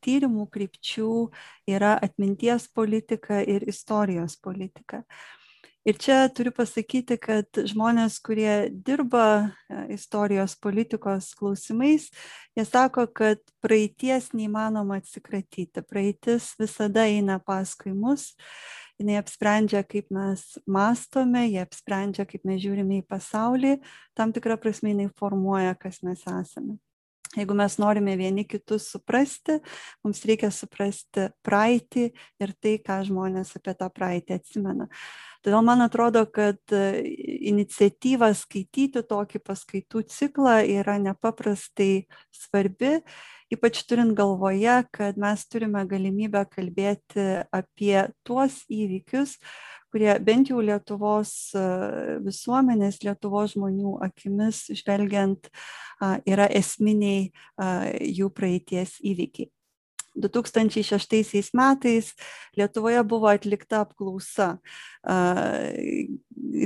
tyrimų krypčių yra atminties politika ir istorijos politika. Ir čia turiu pasakyti, kad žmonės, kurie dirba istorijos politikos klausimais, jie sako, kad praeities neįmanoma atsikratyti. Praeitis visada eina paskui mus, jinai apsprendžia, kaip mes mąstome, jie apsprendžia, kaip mes žiūrime į pasaulį, tam tikrą prasme jinai formuoja, kas mes esame. Jeigu mes norime vieni kitus suprasti, mums reikia suprasti praeitį ir tai, ką žmonės apie tą praeitį atsimena. Todėl man atrodo, kad iniciatyva skaityti tokį paskaitų ciklą yra nepaprastai svarbi, ypač turint galvoje, kad mes turime galimybę kalbėti apie tuos įvykius, kurie bent jau Lietuvos visuomenės, Lietuvos žmonių akimis žvelgiant yra esminiai jų praeities įvykiai. 2006 metais Lietuvoje buvo atlikta apklausa,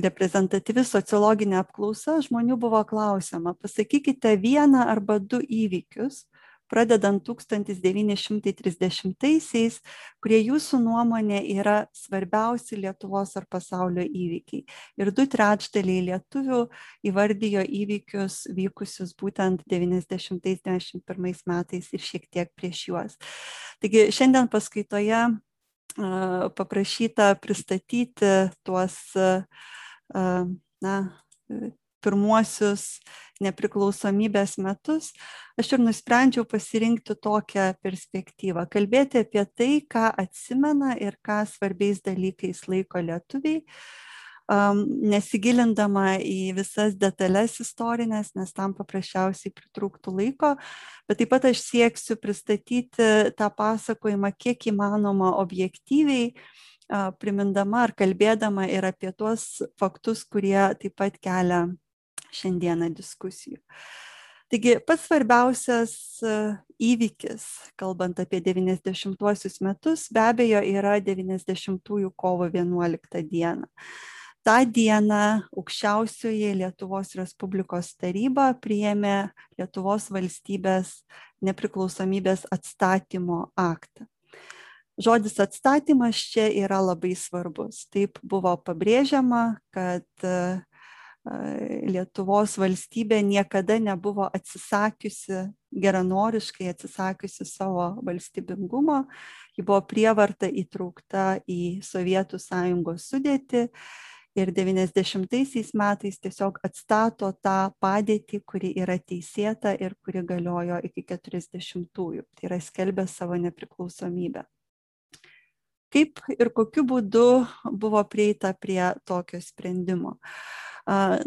reprezentatyvi sociologinė apklausa, žmonių buvo klausiama, pasakykite vieną arba du įvykius, pradedant 1930-aisiais, kurie jūsų nuomonė yra svarbiausi Lietuvos ar pasaulio įvykiai. Ir 2/3 lietuvių įvardijo įvykius vykusius būtent 90-91 metais ir šiek tiek prieš juos. Taigi šiandien paskaitoje paprašyta pristatyti tuos pirmuosius nepriklausomybės metus, aš ir nusprendžiau pasirinkti tokią perspektyvą, kalbėti apie tai, ką atsimena ir ką svarbiais dalykais laiko lietuviai, nesigilindama į visas detalės istorinės, nes tam paprasčiausiai pritrūktų laiko, bet taip pat aš sieksiu pristatyti tą pasakojimą kiek įmanoma objektyviai, primindama ar kalbėdama ir apie tuos faktus, kurie taip pat kelia šiandieną diskusijų. Taigi pats svarbiausias įvykis, kalbant apie 90-uosius metus, be abejo yra 90-ųjų kovo 11 dieną. Ta diena aukščiausioji Lietuvos Respublikos taryba priėmė Lietuvos valstybės nepriklausomybės atstatymo aktą. Žodis atstatymas čia yra labai svarbus. Taip buvo pabrėžiama, kad Lietuvos valstybė niekada nebuvo atsisakiusi, geranoriškai atsisakiusi savo valstybingumo, ji buvo prievarta įtraukta į Sovietų Sąjungos sudėtį ir 90-aisiais metais tiesiog atstato tą padėtį, kuri yra teisėta ir kuri galiojo iki 40-ųjų, tai yra skelbė savo nepriklausomybę. Kaip ir kokiu būdu buvo prieita prie tokio sprendimo?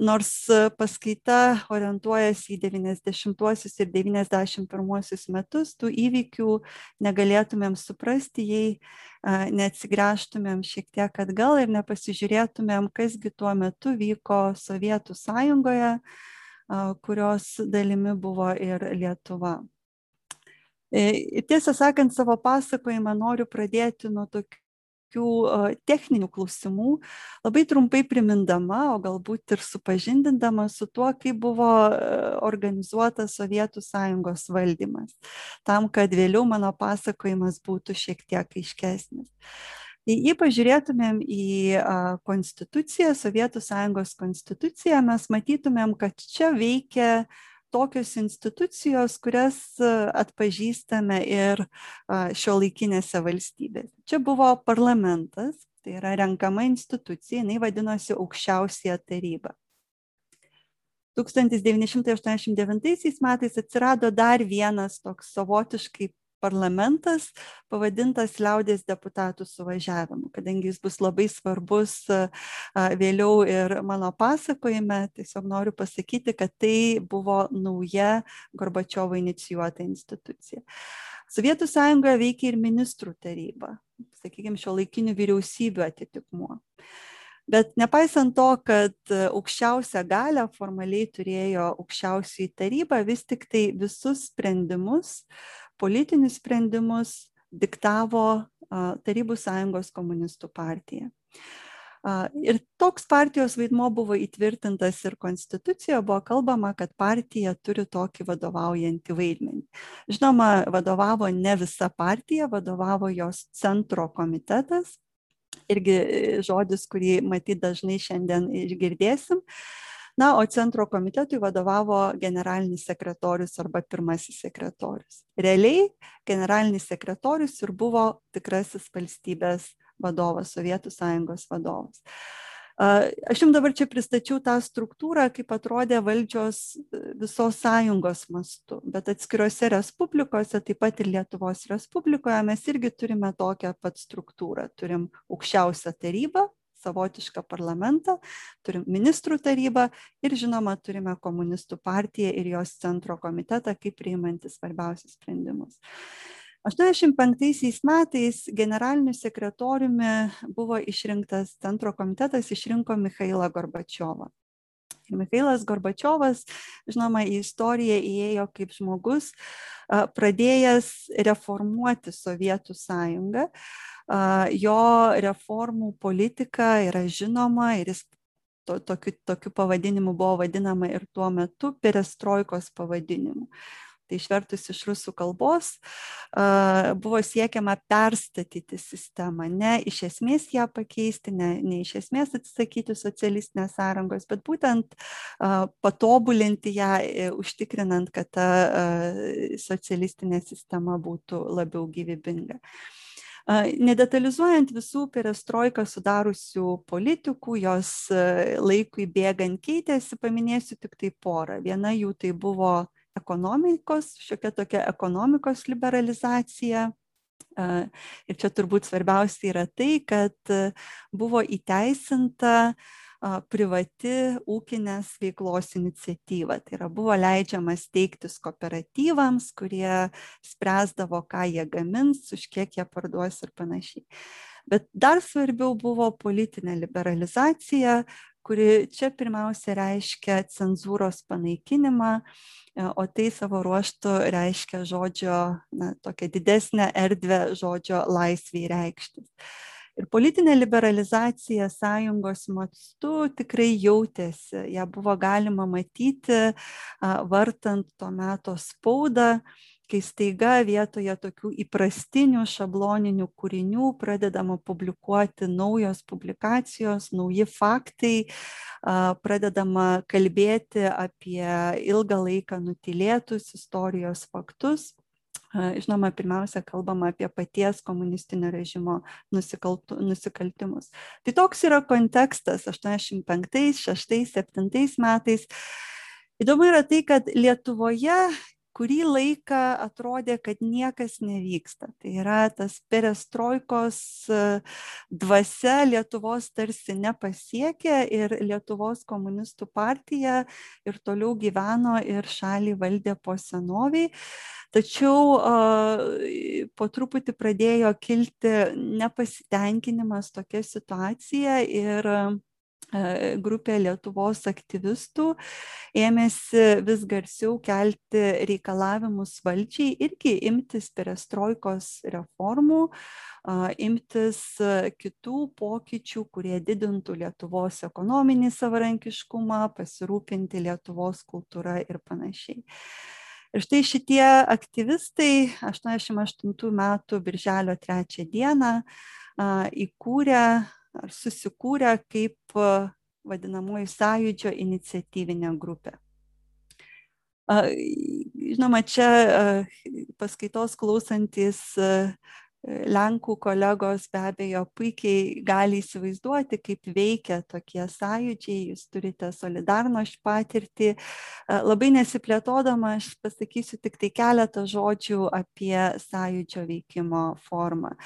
Nors paskaita orientuojasi į 90-uosius ir 91-uosius metus, tų įvykių negalėtumėm suprasti, jei neatsigręžtumėm šiek tiek atgal ir nepasižiūrėtumėm, kasgi tuo metu vyko Sovietų Sąjungoje, kurios dalimi buvo ir Lietuva. Tiesą sakant, savo pasakojimą noriu pradėti nuo tokių techninių klausimų, labai trumpai primindama, o galbūt ir supažindindama su tuo, kaip buvo organizuotas Sovietų Sąjungos valdymas, tam, kad vėliau mano pasakojimas būtų šiek tiek aiškesnis. Jei pažiūrėtumėm į konstituciją, Sovietų Sąjungos konstituciją, mes matytumėm, kad čia veikia tokios institucijos, kurias atpažįstame ir šiuolaikinėse valstybėse. Čia buvo parlamentas, tai yra renkama institucija, jinai vadinosi aukščiausiąją tarybą. 1989 metais atsirado dar vienas toks savotiškai parlamentas, pavadintas Liaudies deputatų suvažiavimu, kadangi jis bus labai svarbus vėliau ir mano pasakojime, tiesiog noriu pasakyti, kad tai buvo nauja Gorbačiovo inicijuota institucija. Sovietų Sąjungoje veikia ir ministrų taryba, sakykime, šiuolaikinių vyriausybių atitikmuo. Bet nepaisant to, kad aukščiausią galią formaliai turėjo aukščiausioji taryba, vis tik tai visus sprendimus, politinius sprendimus diktavo Tarybų Sąjungos komunistų partija. Ir toks partijos vaidmuo buvo įtvirtintas ir konstitucijoje, buvo kalbama, kad partija turi tokį vadovaujantį vaidmenį. Žinoma, vadovavo ne visa partija, vadovavo jos centro komitetas, irgi žodis, kurį matyt dažnai šiandien išgirdėsim. Na, o centro komitetui vadovavo generalinis sekretorius arba pirmasis sekretorius. Realiai generalinis sekretorius ir buvo tikrasis valstybės vadovas, Sovietų Sąjungos vadovas. Aš jums dabar čia pristačiau tą struktūrą, kaip atrodė valdžios visos sąjungos mastu, bet atskirose respublikose, taip pat ir Lietuvos Respublikoje, mes irgi turime tokią pat struktūrą. Turim aukščiausią tarybą, savotišką parlamentą, turim ministrų tarybą ir žinoma turime komunistų partiją ir jos centro komitetą, kaip priimantis svarbiausius sprendimus. 1985 metais generaliniu sekretoriumi buvo išrinktas centro komitetas, išrinko Michailą Gorbačiovą. Ir Michailas Gorbačiovas, žinoma, į istoriją įėjo kaip žmogus, pradėjęs reformuoti Sovietų Sąjungą. Jo reformų politika yra žinoma ir jis tokiu pavadinimu buvo vadinama ir tuo metu perestroikos pavadinimu. Tai išvertus iš rusų kalbos buvo siekiama perstatyti sistemą, ne iš esmės ją pakeisti, ne iš esmės atsisakyti socialistinės sąrangos, bet būtent patobulinti ją, užtikrinant, kad ta socialistinė sistema būtų labiau gyvybinga. Nedetalizuojant visų perestroiką sudariusių politikų, jos laikui bėgant keitėsi, paminėsiu tik tai porą. Viena jų tai buvo ekonomikos, šiokia tokia ekonomikos liberalizacija. Ir čia turbūt svarbiausia yra tai, kad buvo įteisinta privati ūkinės veiklos iniciatyva. Tai yra buvo leidžiama steigtis kooperatyvams, kurie spręsdavo, ką jie gamins, už kiek jie parduos ir panašiai. Bet dar svarbiau buvo politinė liberalizacija, kuri čia pirmiausia reiškia cenzūros panaikinimą, o tai savo ruožtu reiškia žodžio, tokią didesnę erdvę žodžio laisvei reikštis. Ir politinė liberalizacija sąjungos mastu tikrai jautėsi, ją buvo galima matyti vartant to meto spaudą, kai staiga vietoje tokių įprastinių šabloninių kūrinių pradedama publikuoti naujos publikacijos, nauji faktai, pradedama kalbėti apie ilgą laiką nutylėtus istorijos faktus. Žinoma, pirmiausia, kalbama apie paties komunistinio režimo nusikaltimus. Tai toks yra kontekstas 85, 6, 7 metais. Įdomu yra tai, kad Lietuvoje kurį laiką atrodė, kad niekas nevyksta. Tai yra tas perestroikos dvasia Lietuvos tarsi nepasiekė ir Lietuvos komunistų partija ir toliau gyveno ir šalį valdė po senoviai. Tačiau po truputį pradėjo kilti nepasitenkinimas tokia situacija ir grupė Lietuvos aktyvistų ėmėsi vis garsiau kelti reikalavimus valdžiai irgi imtis perestroikos reformų, imtis kitų pokyčių, kurie didintų Lietuvos ekonominį savarankiškumą, pasirūpinti Lietuvos kultūra ir panašiai. Ir štai šitie aktyvistai 88 metų birželio 3 dieną įkūrė ar susikūrė kaip vadinamoji sąjūdžio iniciatyvinė grupė. Žinoma, čia paskaitos klausantis Lenkų kolegos be abejo puikiai gali įsivaizduoti, kaip veikia tokie sąjūdžiai, jūs turite Solidarność patirtį. Labai nesiplėtodama, aš pasakysiu tik tai keletą žodžių apie sąjūdžio veikimo formą.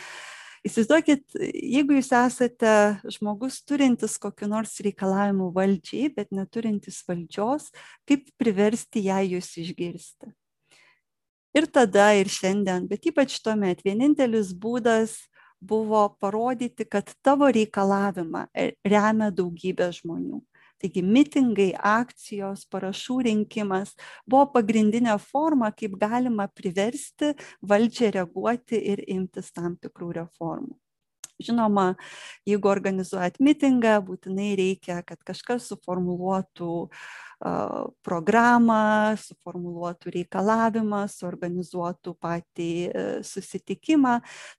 Įsivaizduokit, jeigu jūs esate žmogus turintis kokiu nors reikalavimu valdžiai, bet neturintis valdžios, kaip priversti ją jūs išgirsti. Ir tada, ir šiandien, bet ypač tuomet, vienintelis būdas buvo parodyti, kad tavo reikalavimą remia daugybė žmonių. Taigi mitingai, akcijos, parašų rinkimas buvo pagrindinė forma, kaip galima priversti valdžią reaguoti ir imtis tam tikrų reformų. Žinoma, jeigu organizuojat mitingą, būtinai reikia, kad kažkas suformuluotų programą, suformuluotų reikalavimą, suorganizuotų patį susitikimą.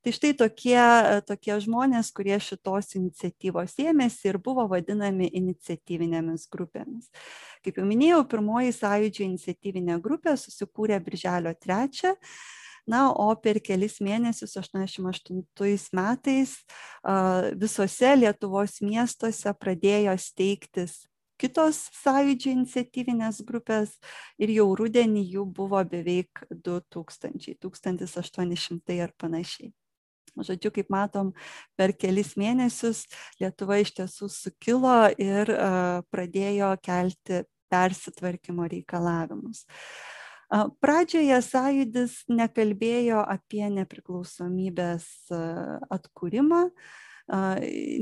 Tai štai tokie žmonės, kurie šitos iniciatyvos ėmėsi ir buvo vadinami iniciatyvinėmis grupėmis. Kaip jau minėjau, pirmoji Sąjūdžio iniciatyvinė grupė susikūrė birželio 3. Na, o per kelis mėnesius 88 metais visose Lietuvos miestuose pradėjo steigtis kitos Sąjūdžio iniciatyvinės grupės ir jau rudenį jų buvo beveik 2000, 1800 ar panašiai. Žodžiu, kaip matom, per kelis mėnesius Lietuva iš tiesų sukilo ir pradėjo kelti persitvarkymo reikalavimus. Pradžioje Sąjūdis nekalbėjo apie nepriklausomybės atkūrimą.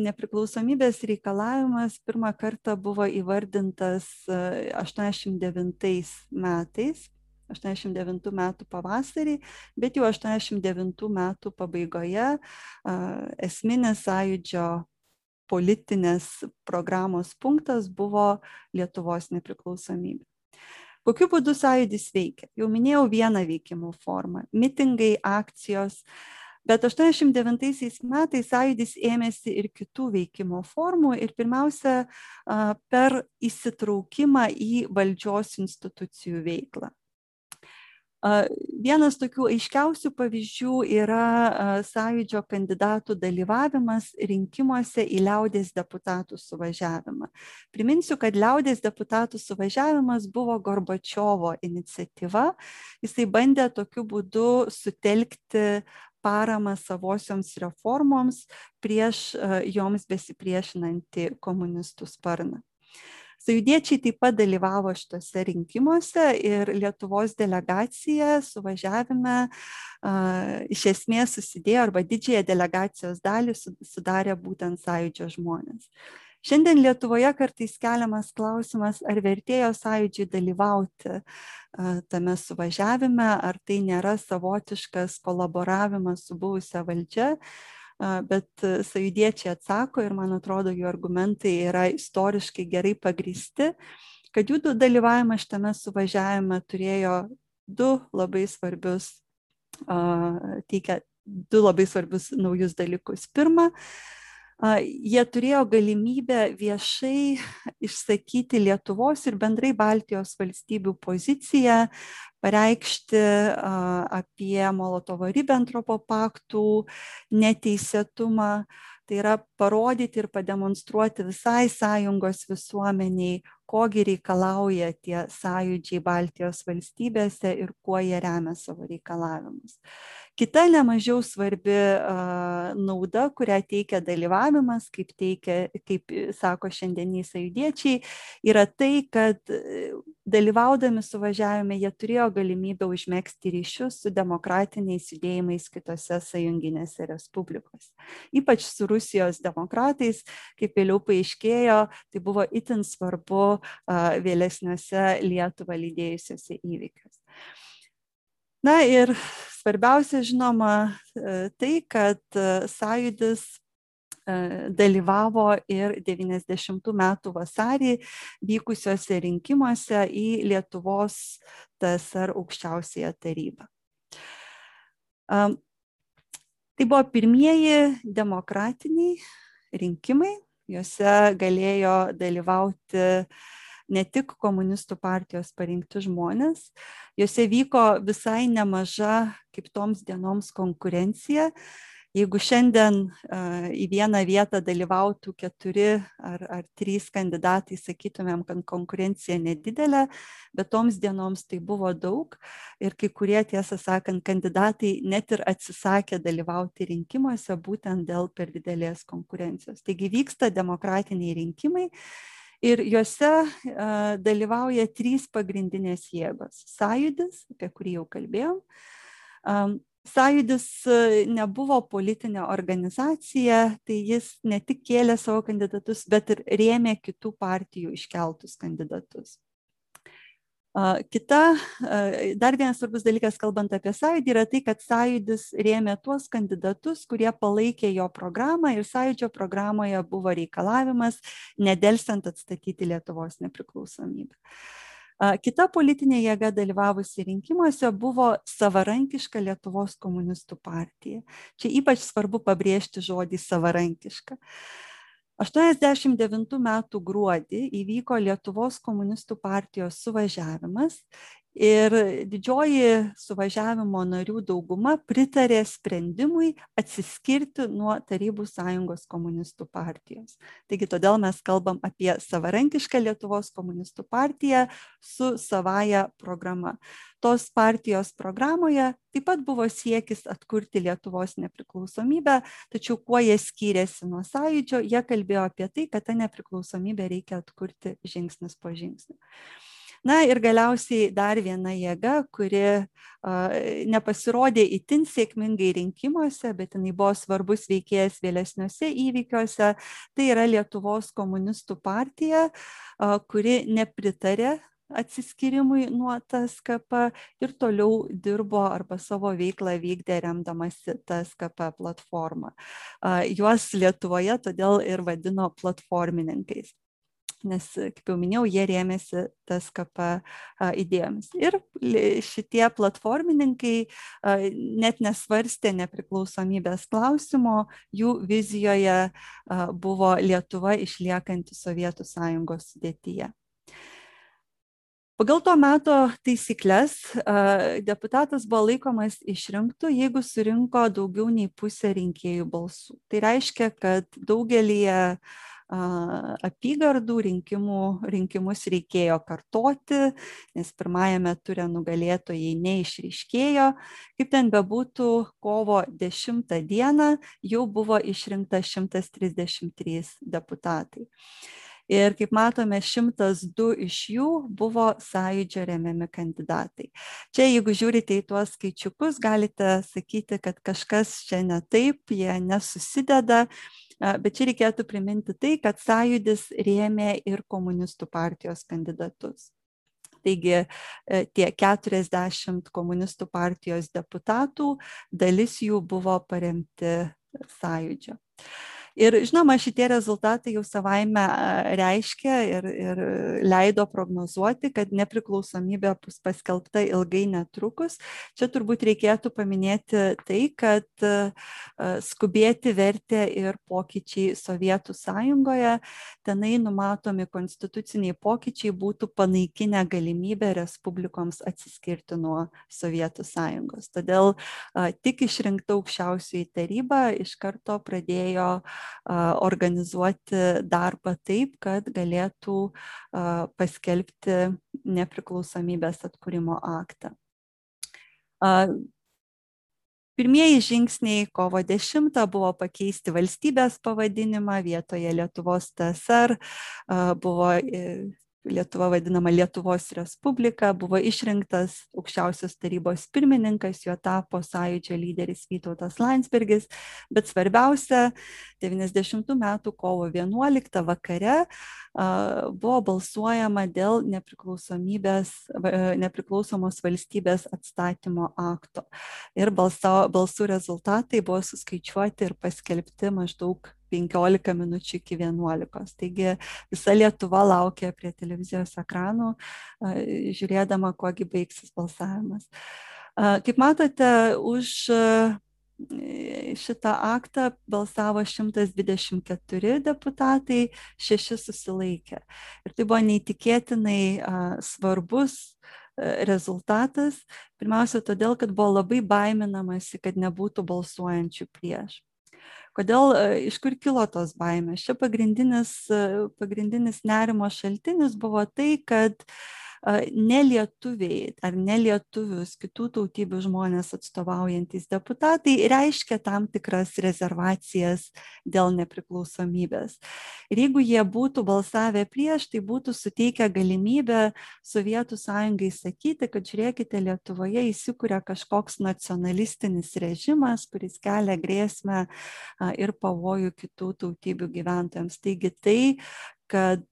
Nepriklausomybės reikalavimas pirmą kartą buvo įvardintas 89 metais, 89 metų pavasarį, bet jau 89 metų pabaigoje esminis Sąjūdžio politinės programos punktas buvo Lietuvos nepriklausomybė. Kokiu būdu Sąjūdis veikia? Jau minėjau vieną veikimo formą – mitingai, akcijos, bet 89 metais Sąjūdis ėmėsi ir kitų veikimo formų ir pirmiausia per įsitraukimą į valdžios institucijų veiklą. Vienas tokių aiškiausių pavyzdžių yra Sąjūdžio kandidatų dalyvavimas rinkimuose į liaudės deputatų suvažiavimą. Priminsiu, kad liaudės deputatų suvažiavimas buvo Gorbačiovo iniciatyva. Jisai bandė tokiu būdu sutelkti paramą savosioms reformoms prieš joms besipriešinantį komunistų sparną. Sąjūdiečiai taip pat dalyvavo šitose rinkimuose ir Lietuvos delegacija suvažiavime iš esmės susidėjo arba didžiąją delegacijos dalį sudarė būtent Sąjūdžio žmonės. Šiandien Lietuvoje kartais keliamas klausimas, ar vertėjo Sąjūdžiui dalyvauti tame suvažiavime, ar tai nėra savotiškas kolaboravimas su buvusia valdžia. Bet sąjūdiečiai atsako ir man atrodo, jų argumentai yra istoriškai gerai pagrįsti, kad jų dalyvavimas šitame suvažiavime turėjo du labai svarbius naujus dalykus. Pirma, jie turėjo galimybę viešai išsakyti Lietuvos ir bendrai Baltijos valstybių poziciją, pareikšti apie Molotovo-Ribentropo paktų neteisėtumą, tai yra parodyti ir pademonstruoti visai sąjungos visuomeniai, kogi reikalauja tie sąjūdžiai Baltijos valstybėse ir kuo jie remia savo reikalavimus. Kita nemažiau svarbi nauda, kurią teikia dalyvavimas, kaip sako šiandieniai sąjūdiečiai, yra tai, kad dalyvaudami suvažiavime jie turėjo galimybę užmegzti ryšius su demokratiniais judėjimais kitose sąjunginėse respublikose. Ypač su Rusijos demokratais, kaip vėliau paaiškėjo, tai buvo itin svarbu vėlesniuose Lietuvą lydėjusiuose įvykiuose. Na ir svarbiausia, žinoma, tai, kad Sąjūdis dalyvavo ir 90 metų vasarį vykusiuose rinkimuose į Lietuvos TSR aukščiausiąją tarybą. Tai buvo pirmieji demokratiniai rinkimai, juose galėjo dalyvauti ne tik komunistų partijos parinkti žmonės, juose vyko visai nemaža kaip toms dienoms konkurencija. Jeigu šiandien į vieną vietą dalyvautų 4 ar 3 kandidatai, sakytumėm, kad konkurencija nedidelė, bet toms dienoms tai buvo daug ir kai kurie, tiesą sakant, kandidatai net ir atsisakė dalyvauti rinkimuose būtent dėl per didelės konkurencijos. Taigi vyksta demokratiniai rinkimai ir juose dalyvauja 3 pagrindinės jėgos. Sąjūdis, apie kurį jau kalbėjom. Sąjūdis nebuvo politinė organizacija, tai jis ne tik kėlė savo kandidatus, bet ir rėmė kitų partijų iškeltus kandidatus. Dar vienas svarbus dalykas, kalbant apie sąjūdį, yra tai, kad sąjūdis rėmė tuos kandidatus, kurie palaikė jo programą ir sąjūdžio programoje buvo reikalavimas nedelsiant atstatyti Lietuvos nepriklausomybę. Kita politinė jėga dalyvavusi rinkimuose buvo savarankiška Lietuvos komunistų partija. Čia ypač svarbu pabrėžti žodį savarankiška. 89 metų gruodį įvyko Lietuvos komunistų partijos suvažiavimas ir didžioji suvažiavimo narių dauguma pritarė sprendimui atsiskirti nuo Tarybų Sąjungos komunistų partijos. Taigi todėl mes kalbam apie savarankišką Lietuvos komunistų partiją su savaja programa. Tos partijos programoje taip pat buvo siekis atkurti Lietuvos nepriklausomybę, tačiau kuo jie skyrėsi nuo sąjūdžio, jie kalbėjo apie tai, kad tą nepriklausomybę reikia atkurti žingsnis po žingsnio. Na ir galiausiai dar viena jėga, kuri nepasirodė itin sėkmingai rinkimuose, bet jinai buvo svarbus veikėjas vėlesniuose įvykiuose, tai yra Lietuvos komunistų partija, kuri nepritarė atsiskyrimui nuo TSKP ir toliau dirbo arba savo veiklą vykdė remdamasi TSKP platformą. Juos Lietuvoje todėl ir vadino platformininkais, nes, kaip jau minėjau, jie rėmėsi TSKP idėjomis. Ir šitie platformininkai net nesvarstė nepriklausomybės klausimo, jų vizijoje buvo Lietuva išliekanti Sovietų Sąjungos sudėtyje. Pagal to meto taisyklės deputatas buvo laikomas išrinktu, jeigu surinko daugiau nei pusę rinkėjų balsų. Tai reiškia, kad daugelįje apygardų rinkimus reikėjo kartoti, nes pirmajame ture nugalėtojai neišryškėjo. Kaip ten bebūtų, kovo 10 dieną jau buvo išrinkta 133 deputatai. Ir kaip matome, 102 iš jų buvo sąjūdžio remiami kandidatai. Čia, jeigu žiūrite į tuos skaičiukus, galite sakyti, kad kažkas čia ne taip, jie nesusideda, bet čia reikėtų priminti tai, kad sąjūdis rėmė ir komunistų partijos kandidatus. Taigi tie 40 komunistų partijos deputatų, dalis jų buvo paremti sąjūdžio. Ir žinoma, šitie rezultatai jau savaime reiškia ir leido prognozuoti, kad nepriklausomybė bus paskelbta ilgai netrukus. Čia turbūt reikėtų paminėti tai, kad skubėti vertė ir pokyčiai Sovietų Sąjungoje. Tenai numatomi konstituciniai pokyčiai būtų panaikinę galimybę respublikoms atsiskirti nuo Sovietų Sąjungos. Todėl tik išrinkta aukščiausioji taryba iš karto pradėjo organizuoti darbą taip, kad galėtų paskelbti nepriklausomybės atkūrimo aktą. Pirmieji žingsniai kovo 10 buvo pakeisti valstybės pavadinimą, vietoje Lietuvos TSR buvo Lietuva vadinama Lietuvos Respublika, buvo išrinktas aukščiausios tarybos pirmininkas, juo tapo sąjūdžio lyderis Vytautas Landsbergis, bet svarbiausia, 90 metų kovo 11 vakare buvo balsuojama dėl nepriklausomos valstybės atstatymo akto. Ir balsų rezultatai buvo suskaičiuoti ir paskelbti maždaug 15 minučių iki 11. Taigi visa Lietuva laukia prie televizijos ekranų, žiūrėdama, kuogi baigsis balsavimas. Kaip matote, už šitą aktą balsavo 124 deputatai, 6 susilaikė. Ir tai buvo neįtikėtinai svarbus rezultatas, pirmiausia todėl, kad buvo labai baiminamasi, kad nebūtų balsuojančių prieš. Kodėl, iš kur kilo tos baimės? Čia pagrindinis nerimo šaltinis buvo tai, kad nelietuviai ar nelietuvius kitų tautybių žmonės atstovaujantis deputatai reiškia tam tikras rezervacijas dėl nepriklausomybės. Ir jeigu jie būtų balsavę prieš, tai būtų suteikę galimybę Sovietų Sąjungai sakyti, kad žiūrėkite, Lietuvoje įsikuria kažkoks nacionalistinis režimas, kuris kelia grėsmę ir pavojų kitų tautybių gyventojams. Taigi tai, kad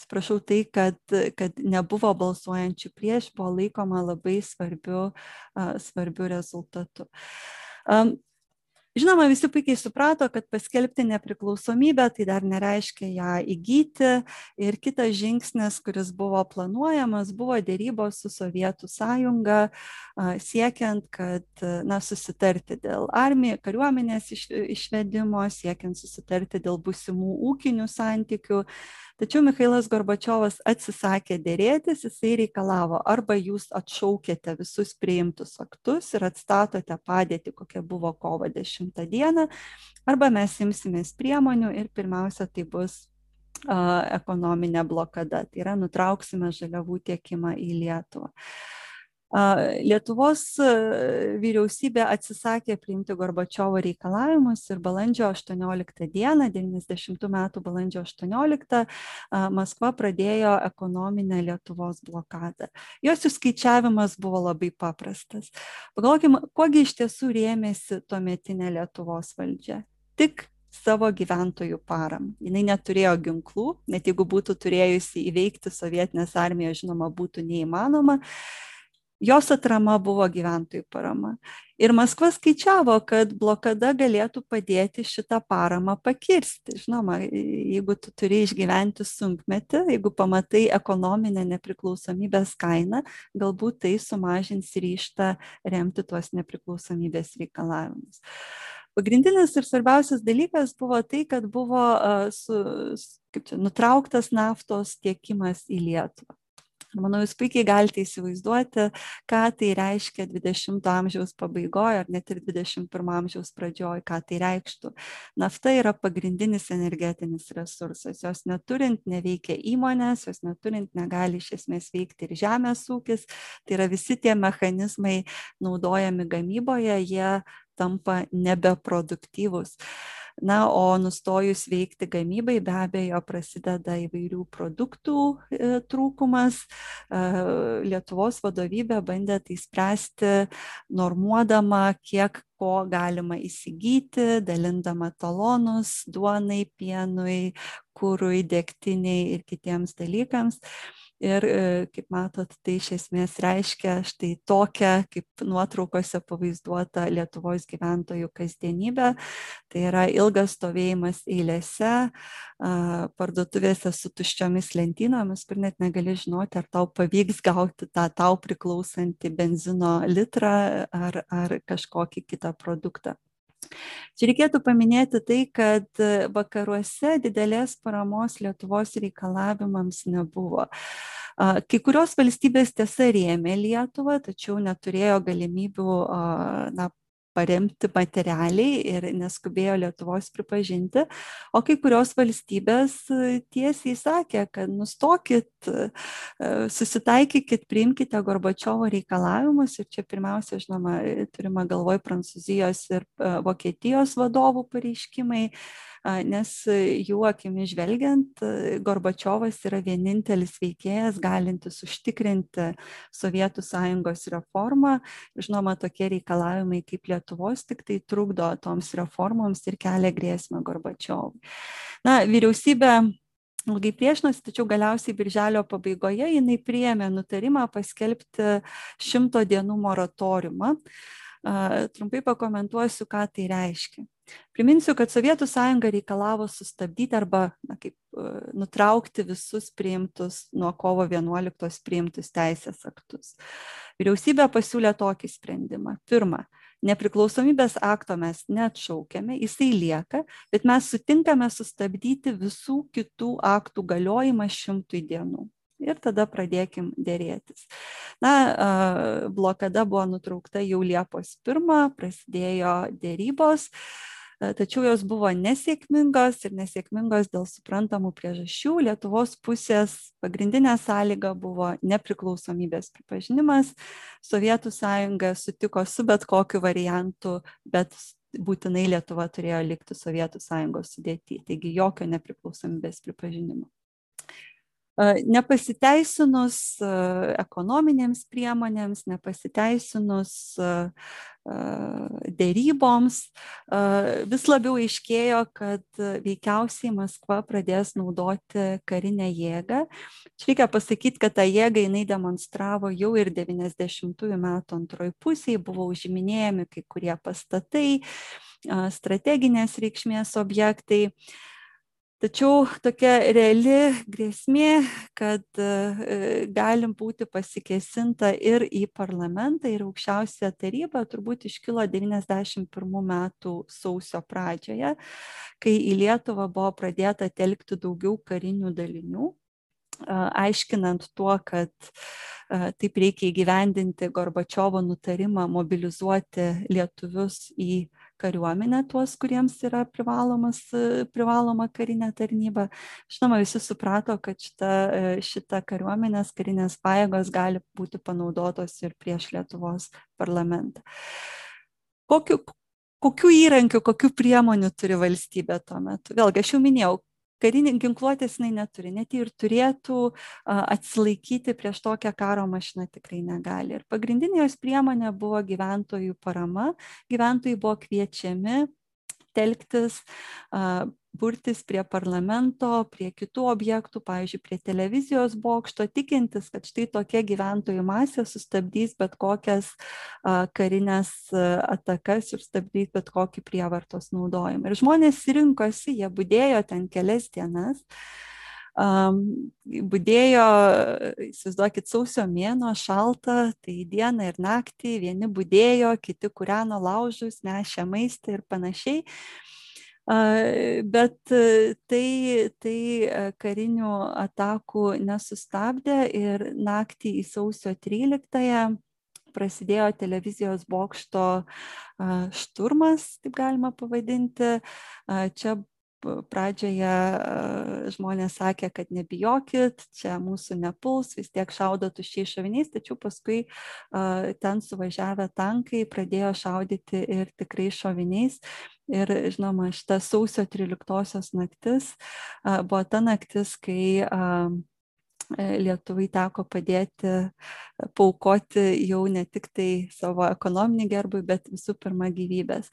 atsiprašau, tai, kad nebuvo balsuojančių prieš, buvo laikoma labai svarbiu rezultatu. Žinoma, visi puikiai suprato, kad paskelbti nepriklausomybę tai dar nereiškia ją įgyti ir kitas žingsnis, kuris buvo planuojamas, buvo dėrybos su Sovietų sąjunga, siekiant, kad susitarti dėl kariuomenės išvedimo, siekiant susitarti dėl būsimų ūkinių santykių. Tačiau Michailas Gorbačiovas atsisakė dėrėtis, jisai reikalavo arba jūs atšaukėte visus priimtus aktus ir atstatote padėtį, kokia buvo kovo 10 dieną, arba mes imsimės priemonių ir pirmiausia tai bus ekonominė blokada, tai yra nutrauksime žaliavų tiekimą į Lietuvą. Lietuvos vyriausybė atsisakė priimti Gorbačiovo reikalavimus ir balandžio 18 dieną, 90 metų balandžio 18, Maskva pradėjo ekonominę Lietuvos blokadą. Jos įskaičiavimas buvo labai paprastas. Pagalvokime, kuogi iš tiesų rėmėsi tuometinė Lietuvos valdžia. Tik savo gyventojų paramą. Jinai neturėjo ginklų, net jeigu būtų turėjusi įveikti sovietinės armijos, žinoma, būtų neįmanoma. Jos atrama buvo gyventojų parama. Ir Maskva skaičiavo, kad blokada galėtų padėti šitą paramą pakirsti. Žinoma, jeigu tu turi išgyventi sunkmetį, jeigu pamatai ekonominę nepriklausomybės kainą, galbūt tai sumažins ryžtą remti tuos nepriklausomybės reikalavimus. Pagrindinis ir svarbiausias dalykas buvo tai, kad buvo nutrauktas naftos tiekimas į Lietuvą. Manau, jūs puikiai galite įsivaizduoti, ką tai reiškia 20 amžiaus pabaigoje ar net ir 21 amžiaus pradžioje, ką tai reikštų. Nafta yra pagrindinis energetinis resursas. Jos neturint neveikia įmonės, jos neturint negali iš esmės veikti ir žemės ūkis. Tai yra visi tie mechanizmai naudojami gamyboje, jie tampa nebeproduktyvūs. Na, o nustojus veikti gamybai, be abejo, prasideda įvairių produktų trūkumas. Lietuvos vadovybė bandė tai spręsti, normuodama, kiek ko galima įsigyti, dalindama talonus duonai, pienui, kurui, degtiniai ir kitiems dalykams. Ir, kaip matot, tai iš esmės reiškia štai tokią, kaip nuotraukose pavaizduota Lietuvos gyventojų kasdienybę. Tai yra ilgas stovėjimas eilėse, parduotuvėse su tuščiomis lentynomis, kur net negali žinoti, ar tau pavyks gauti tą tau priklausantį benzino litrą ar kažkokį kitą produktą. Čia reikėtų paminėti tai, kad vakaruose didelės paramos Lietuvos reikalavimams nebuvo. Kai kurios valstybės tiesa rėmė Lietuvą, tačiau neturėjo galimybių paremti materialiai ir neskubėjo Lietuvos pripažinti, o kai kurios valstybės tiesiai sakė, kad nustokit, susitaikykit, priimkite Gorbačiovo reikalavimus ir čia pirmiausia, žinoma, turime galvoj Prancūzijos ir Vokietijos vadovų pareiškimai, nes jų akimis žvelgiant, Gorbačiovas yra vienintelis veikėjas galintis užtikrinti Sovietų sąjungos reformą. Žinoma, tokie reikalavimai kaip Lietuvos tik tai trukdo toms reformoms ir kelia grėsmę Gorbačiovui. Na, vyriausybė ilgai priešinosi, tačiau galiausiai birželio pabaigoje jinai priėmė nutarimą paskelbti 100 dienų moratoriumą. Trumpai pakomentuosiu, ką tai reiškia. Priminsiu, kad Sovietų sąjunga reikalavo sustabdyti arba nutraukti visus priimtus nuo kovo 11 priimtus teisės aktus. Vyriausybė pasiūlė tokį sprendimą. Pirma, nepriklausomybės akto mes neatšaukiame, jisai lieka, bet mes sutinkame sustabdyti visų kitų aktų galiojimą 100 dienų. Ir tada pradėkim dėrėtis. Na, blokada buvo nutraukta jau Liepos 1, prasidėjo dėrybos, tačiau jos buvo nesėkmingos ir nesėkmingos dėl suprantamų priežasčių. Lietuvos pusės pagrindinė sąlyga buvo nepriklausomybės pripažinimas. Sovietų sąjunga sutiko su bet kokiu variantu, bet būtinai Lietuva turėjo likti Sovietų sąjungos sudėty, taigi jokio nepriklausomybės pripažinimo. Nepasiteisinus ekonominėms priemonėms, nepasiteisinus dėryboms, vis labiau aiškėjo, kad veikiausiai Maskva pradės naudoti karinę jėgą. Čia reikia pasakyti, kad tą jėgą jinai demonstravo jau ir 90-ųjų metų antroji pusėje, buvo užiminėjami kai kurie pastatai, strateginės reikšmės objektai. Tačiau tokia reali grėsmė, kad galim būti pasikėsinta ir į parlamentą, ir aukščiausią tarybą, turbūt iškilo 91 metų sausio pradžioje, kai į Lietuvą buvo pradėta telkti daugiau karinių dalinių, aiškinant tuo, kad taip reikia įgyvendinti Gorbačiovo nutarimą mobilizuoti lietuvius į kariuomenę, tuos, kuriems yra privaloma karinė tarnyba. Žinoma, visi suprato, kad šita kariuomenės karinės pajėgos gali būti panaudotos ir prieš Lietuvos parlamentą. Kokių įrankių, kokių priemonių turi valstybė tuo metu? Vėlgi, aš jau minėjau, karinė ginkluotės jinai neturi, net ir turėtų atsilaikyti prieš tokią karo mašiną tikrai negali. Ir pagrindinė jos priemonė buvo gyventojų parama. Gyventojai buvo kviečiami telktis, burtis prie parlamento, prie kitų objektų, pavyzdžiui, prie televizijos bokšto, tikintis, kad štai tokia gyventojų masė sustabdys bet kokias karinės atakas ir stabdys bet kokį prievartos naudojimą. Ir žmonės rinkosi, jie budėjo ten kelias dienas. Budėjo, įsivaizduokit, sausio mėnuo, šalta, tai dieną ir naktį, vieni budėjo, kiti kūreno laužus, nešė maistą ir panašiai. Bet tai karinių atakų nesustabdė ir naktį į sausio 13-ąją prasidėjo televizijos bokšto šturmas, taip galima pavadinti. Čia pradžioje žmonės sakė, kad nebijokit, čia mūsų nepuls, vis tiek šaudo tuščiais šoviniais, tačiau paskui ten suvažiavę tankai pradėjo šaudyti ir tikrai šoviniais. Ir žinoma, šita sausio 13-osios naktis buvo ta naktis, kai Lietuvai teko padėti, paaukoti jau ne tik tai savo ekonominį gerbūvį, bet visų pirma gyvybės.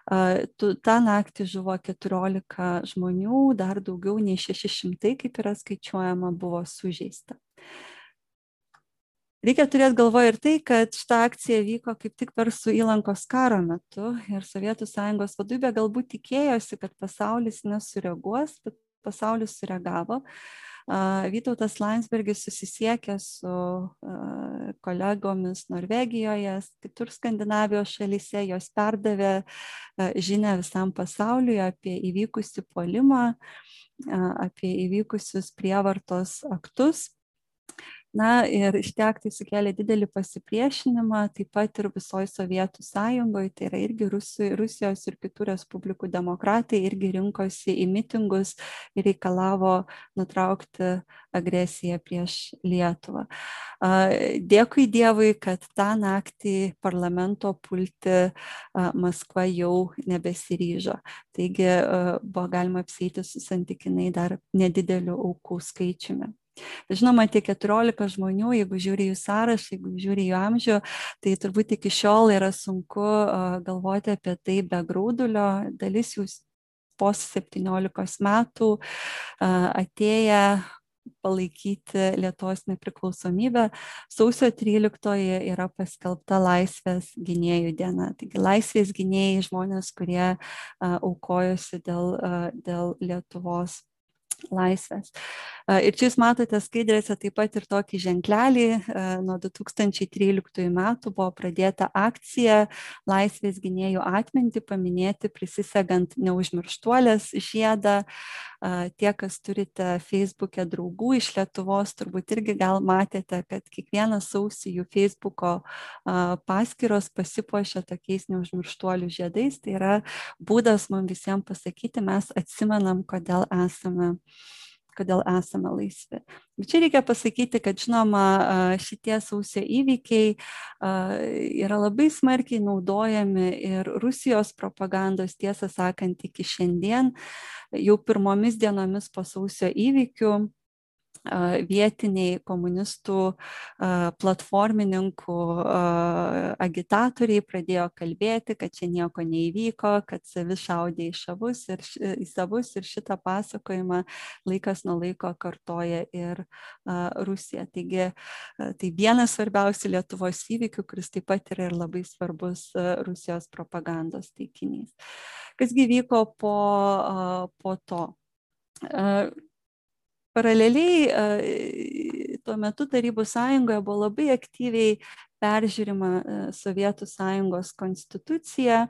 Ta naktį žuvo 14 žmonių, dar daugiau nei 600, kaip yra skaičiuojama, buvo sužeista. Reikia turėti galvoje ir tai, kad šita akcija vyko kaip tik Persų įlankos karo metu ir Sovietų Sąjungos vadovybė galbūt tikėjosi, kad pasaulis nesureaguos, bet pasaulis sureagavo. Vytautas Landsbergis susisiekė su kolegomis Norvegijoje, kitur Skandinavijos šalyse, jos perdavė žinią visam pasauliui apie įvykusį puolimą, apie įvykusius prievartos aktus. Na ir šitie aktai sukėlė didelį pasipriešinimą, taip pat ir visoje Sovietų Sąjungoje, tai yra irgi Rusijos ir kitų respublikų demokratai irgi rinkosi į mitingus ir reikalavo nutraukti agresiją prieš Lietuvą. Dėkui Dievui, kad tą naktį parlamento pulti Maskva jau nebesiryžo. Taigi buvo galima apsieiti su santykinai dar nedideliu aukų skaičiumi. Žinoma, tie 14 žmonių, jeigu žiūri jų sąrašą, jeigu žiūri jų amžių, tai turbūt iki šiol yra sunku galvoti apie tai be graudulio. Dalis jų po 17 metų atėję palaikyti Lietuvos nepriklausomybę. Sausio 13 yra paskelbta Laisvės gynėjų diena. Taigi Laisvės gynėjai žmonės, kurie aukojosi dėl Lietuvos laisvės. Ir čia jūs matote skaidrėse taip pat ir tokį ženklelį. Nuo 2013 metų buvo pradėta akcija Laisvės gynėjų atmintį paminėti, prisisegant neužmirštuolės žiedą. Tie, kas turite Facebook'e draugų iš Lietuvos, turbūt irgi gal matėte, kad kiekvieną sausį jų Facebook'o paskyros pasipuošia tokiais neužmirštuolių žiedais. Tai yra būdas mums visiems pasakyti, mes atsimenam, kodėl esame laisvi. Bet čia reikia pasakyti, kad žinoma, šitie sausio įvykiai yra labai smarkiai naudojami ir Rusijos propagandos, tiesą sakant, iki šiandien, jau pirmomis dienomis po sausio įvykių. vietiniai komunistų platformininkų agitatoriai pradėjo kalbėti, kad čia nieko neįvyko, kad savi šaudė į savus ir šitą pasakojimą laikas nuo laiko kartoja ir Rusija. Taigi tai vienas svarbiausių Lietuvos įvykių, kuris taip pat yra ir labai svarbus Rusijos propagandos taikinys. Kasgi vyko po to? Paraleliai tuo metu Tarybų sąjungoje buvo labai aktyviai peržiūrima Sovietų sąjungos konstitucija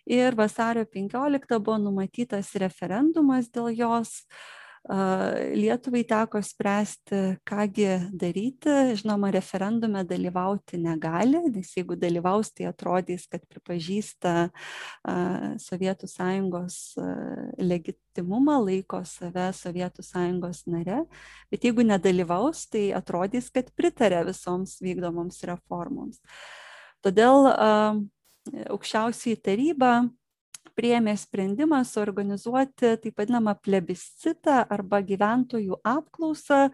ir vasario 15 buvo numatytas referendumas dėl jos. Lietuvai teko spręsti, kągi daryti. Žinoma, referendume dalyvauti negali, nes jeigu dalyvaus, tai atrodys, kad pripažįsta Sovietų sąjungos legitimumą, laiko save Sovietų sąjungos nare, bet jeigu nedalyvaus, tai atrodys, kad pritarė visoms vykdomoms reformoms. Todėl aukščiausioji taryba priėmė sprendimą suorganizuoti taip vadinamą plebiscitą arba gyventojų apklausą,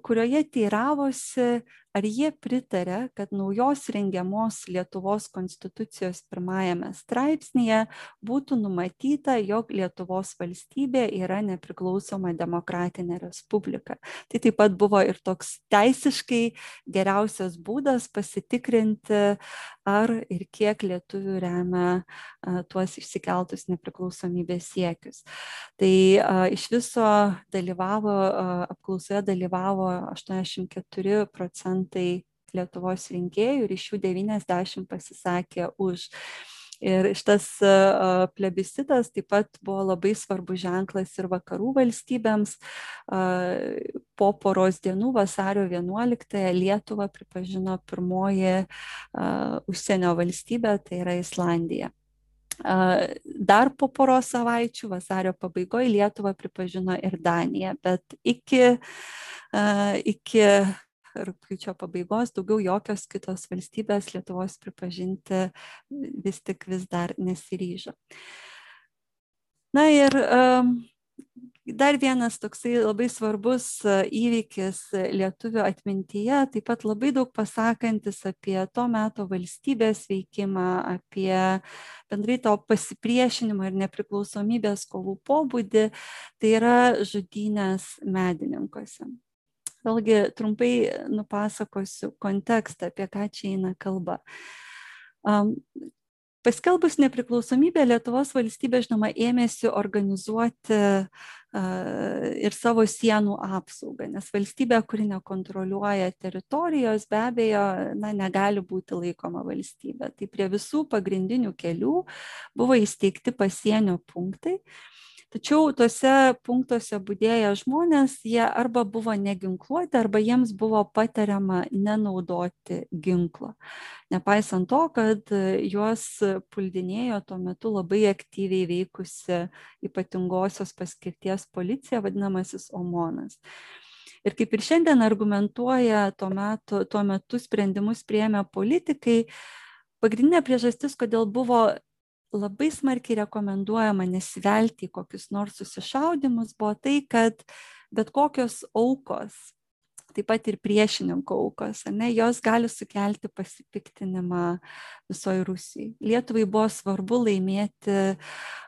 kurioje teiravosi, ar jie pritarė, kad naujos rengiamos Lietuvos konstitucijos 1 straipsnyje būtų numatyta, jog Lietuvos valstybė yra nepriklausoma demokratinė respublika. Tai taip pat buvo ir toks teisiškai geriausias būdas pasitikrinti, ar ir kiek lietuvių remia tuos išsikeltus nepriklausomybės siekius. Tai iš viso apklausoje dalyvavo 84% Lietuvos rinkėjų ir iš jų 90 pasisakė už. Ir šitas plebiscitas taip pat buvo labai svarbus ženklas ir vakarų valstybėms. Po poros dienų, vasario 11-ąją, Lietuvą pripažino pirmoji užsienio valstybė, tai yra Islandija. Dar po poros savaičių, vasario pabaigoje, Lietuvą pripažino ir Danija, bet iki rugpjūčio pabaigos daugiau jokios kitos valstybės Lietuvos pripažinti vis dar nesiryžo. Na ir dar vienas toksai labai svarbus įvykis lietuvių atmintyje, taip pat labai daug pasakantis apie to meto valstybės veikimą, apie bendrai to pasipriešinimo ir nepriklausomybės kovų pobūdį, tai yra žudynės Medininkuose. Vėlgi trumpai nupasakosiu kontekstą, apie ką čia eina kalba. Paskelbus nepriklausomybę, Lietuvos valstybė, žinoma, ėmėsi organizuoti ir savo sienų apsaugą, nes valstybė, kuri nekontroliuoja teritorijos, be abejo, negali būti laikoma valstybė. Tai prie visų pagrindinių kelių buvo įsteigti pasienio punktai. Tačiau tuose punktuose budėję žmonės, jie arba buvo neginkluoti, arba jiems buvo patariama nenaudoti ginklo. Nepaisant to, kad juos puldinėjo tuo metu labai aktyviai veikusi ypatingosios paskirties policija, vadinamasis OMONas. Ir kaip ir šiandien argumentuoja tuo metu sprendimus priėmę politikai, pagrindinė priežastis, kodėl buvo labai smarkiai rekomenduojama nesivelti į kokius nors susišaudymus, buvo tai, kad bet kokios aukos, taip pat ir priešininkų aukos, jos gali sukelti pasipiktinimą visoje Rusijai. Lietuvai buvo svarbu laimėti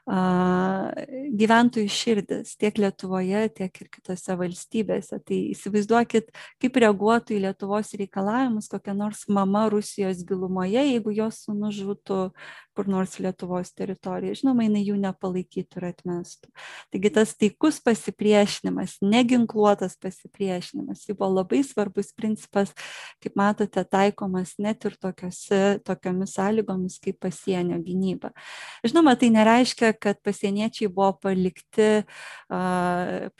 gyventojų širdis tiek Lietuvoje, tiek ir kitose valstybėse. Tai įsivaizduokit, kaip reaguotų į Lietuvos reikalavimus kokia nors mama Rusijos gilumoje, jeigu jos sūnus žūtų kur nors Lietuvos teritorijoje. Žinoma, jinai jų nepalaikytų ir atmestų. Taigi tas taikus pasipriešinimas, neginkluotas pasipriešinimas, tai buvo labai svarbus principas, kaip matote, taikomas net ir tokiomis sąlygomis kaip pasienio gynyba. Žinoma, tai nereiškia, kad pasieniečiai buvo palikti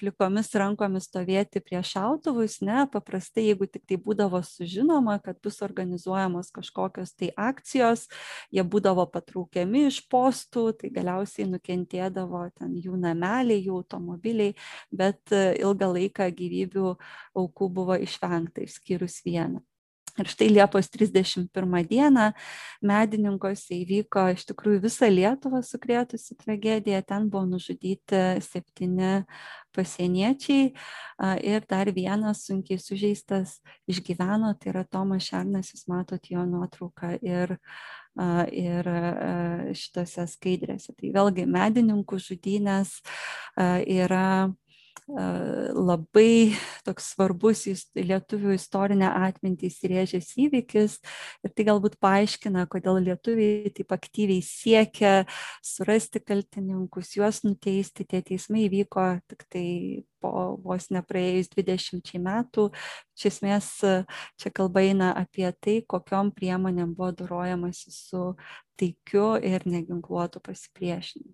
plikomis rankomis stovėti prie šautuvus, ne, paprastai, jeigu tik tai būdavo sužinoma, kad bus organizuojamos kažkokios tai akcijos, jie būdavo patraukiami iš postų, tai galiausiai nukentėdavo ten jų nameliai, jų automobiliai, bet ilgą laiką gyvybių aukų buvo išvengta, išskyrus vieną. Ir štai Liepos 31 dieną Medininkuose įvyko iš tikrųjų visą Lietuvą sukrėtusi tragedija. Ten buvo nužudyti 7 pasieniečiai ir dar vienas sunkiai sužeistas išgyveno, tai yra Tomas Šernas, jūs matot jo nuotrauką ir šitose skaidrėse. Tai vėlgi Medininkų žudynės yra labai toks svarbus lietuvių istorinę atmintį įsirėžęs įvykis ir tai galbūt paaiškina, kodėl lietuviai taip aktyviai siekia surasti kaltininkus, juos nuteisti. Tie teismai įvyko tik tai po vos nepraėjus 20 metų. Iš esmės čia kalba eina apie tai, kokiom priemonėm buvo dorojamasi su taikiu ir neginkluotu pasipriešinimu.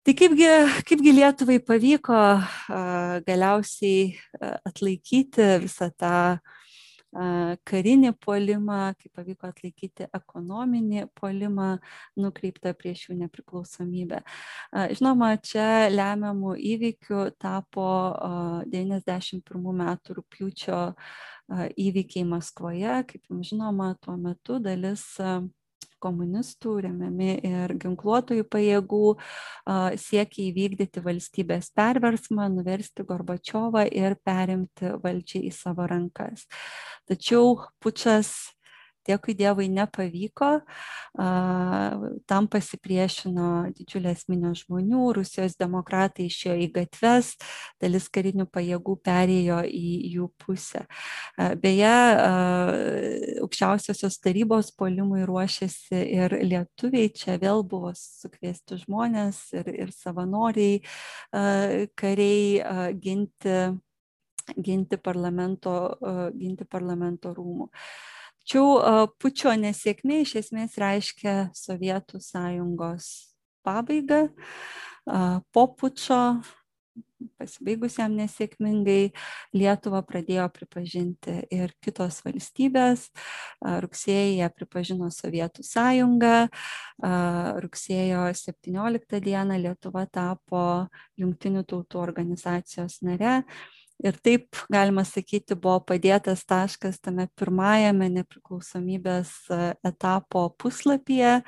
Tai kaipgi Lietuvai pavyko galiausiai atlaikyti visą tą karinį puolimą, kaip pavyko atlaikyti ekonominį puolimą nukreiptą prieš jų nepriklausomybę. Žinoma, čia lemiamų įvykių tapo 91 metų rugpjūčio įvykiai Maskvoje. Kaip jums žinoma, tuo metu dalis komunistų remiami ir ginkluotojų pajėgų siekia įvykdyti valstybės perversmą, nuversti Gorbačiovą ir perimti valdžią į savo rankas. Tačiau pučas, dėkui Dievui, nepavyko. Tam pasipriešino didžiulės minios žmonių, Rusijos demokratai išėjo į gatves, dalis karinių pajėgų perėjo į jų pusę. Beje, aukščiausiosios tarybos puolimui ruošėsi ir lietuviai, čia vėl buvo sukviesti žmonės ir savanoriai, kariai ginti parlamento rūmų. Tačiau pučo nesėkmė iš esmės reiškia Sovietų sąjungos pabaigą. Po pučo, pasibaigus jam nesėkmingai, Lietuvą pradėjo pripažinti ir kitos valstybės. Rugsėjį ją pripažino Sovietų sąjunga. Rugsėjo 17 dieną Lietuva tapo Jungtinių tautų organizacijos nare. Ir taip, galima sakyti, buvo padėtas taškas tame pirmajame nepriklausomybės etapo puslapyje,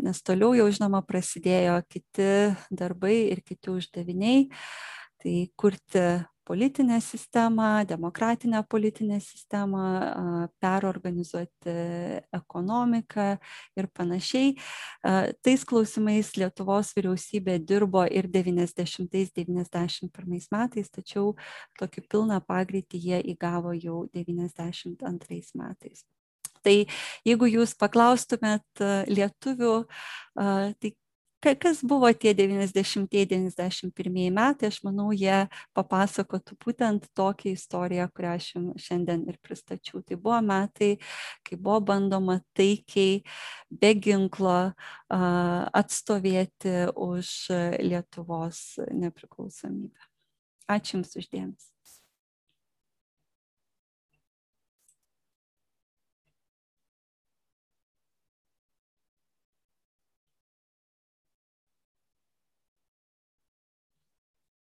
nes toliau jau, žinoma, prasidėjo kiti darbai ir kiti uždaviniai. Tai kurti politinę sistemą, demokratinę politinę sistemą, perorganizuoti ekonomiką ir panašiai. Tais klausimais Lietuvos vyriausybė dirbo ir 90-91 metais, tačiau tokį pilną pagreitį jie įgavo jau 92 metais. Tai jeigu jūs paklaustumėt lietuvių, tai kas buvo tie 90-91 metai, aš manau, jie papasakotų būtent tokią istoriją, kurią aš jums šiandien ir pristačiau. Tai buvo metai, kai buvo bandoma taikiai, be ginklo atstovėti už Lietuvos nepriklausomybę. Ačiū Jums uždėmesi.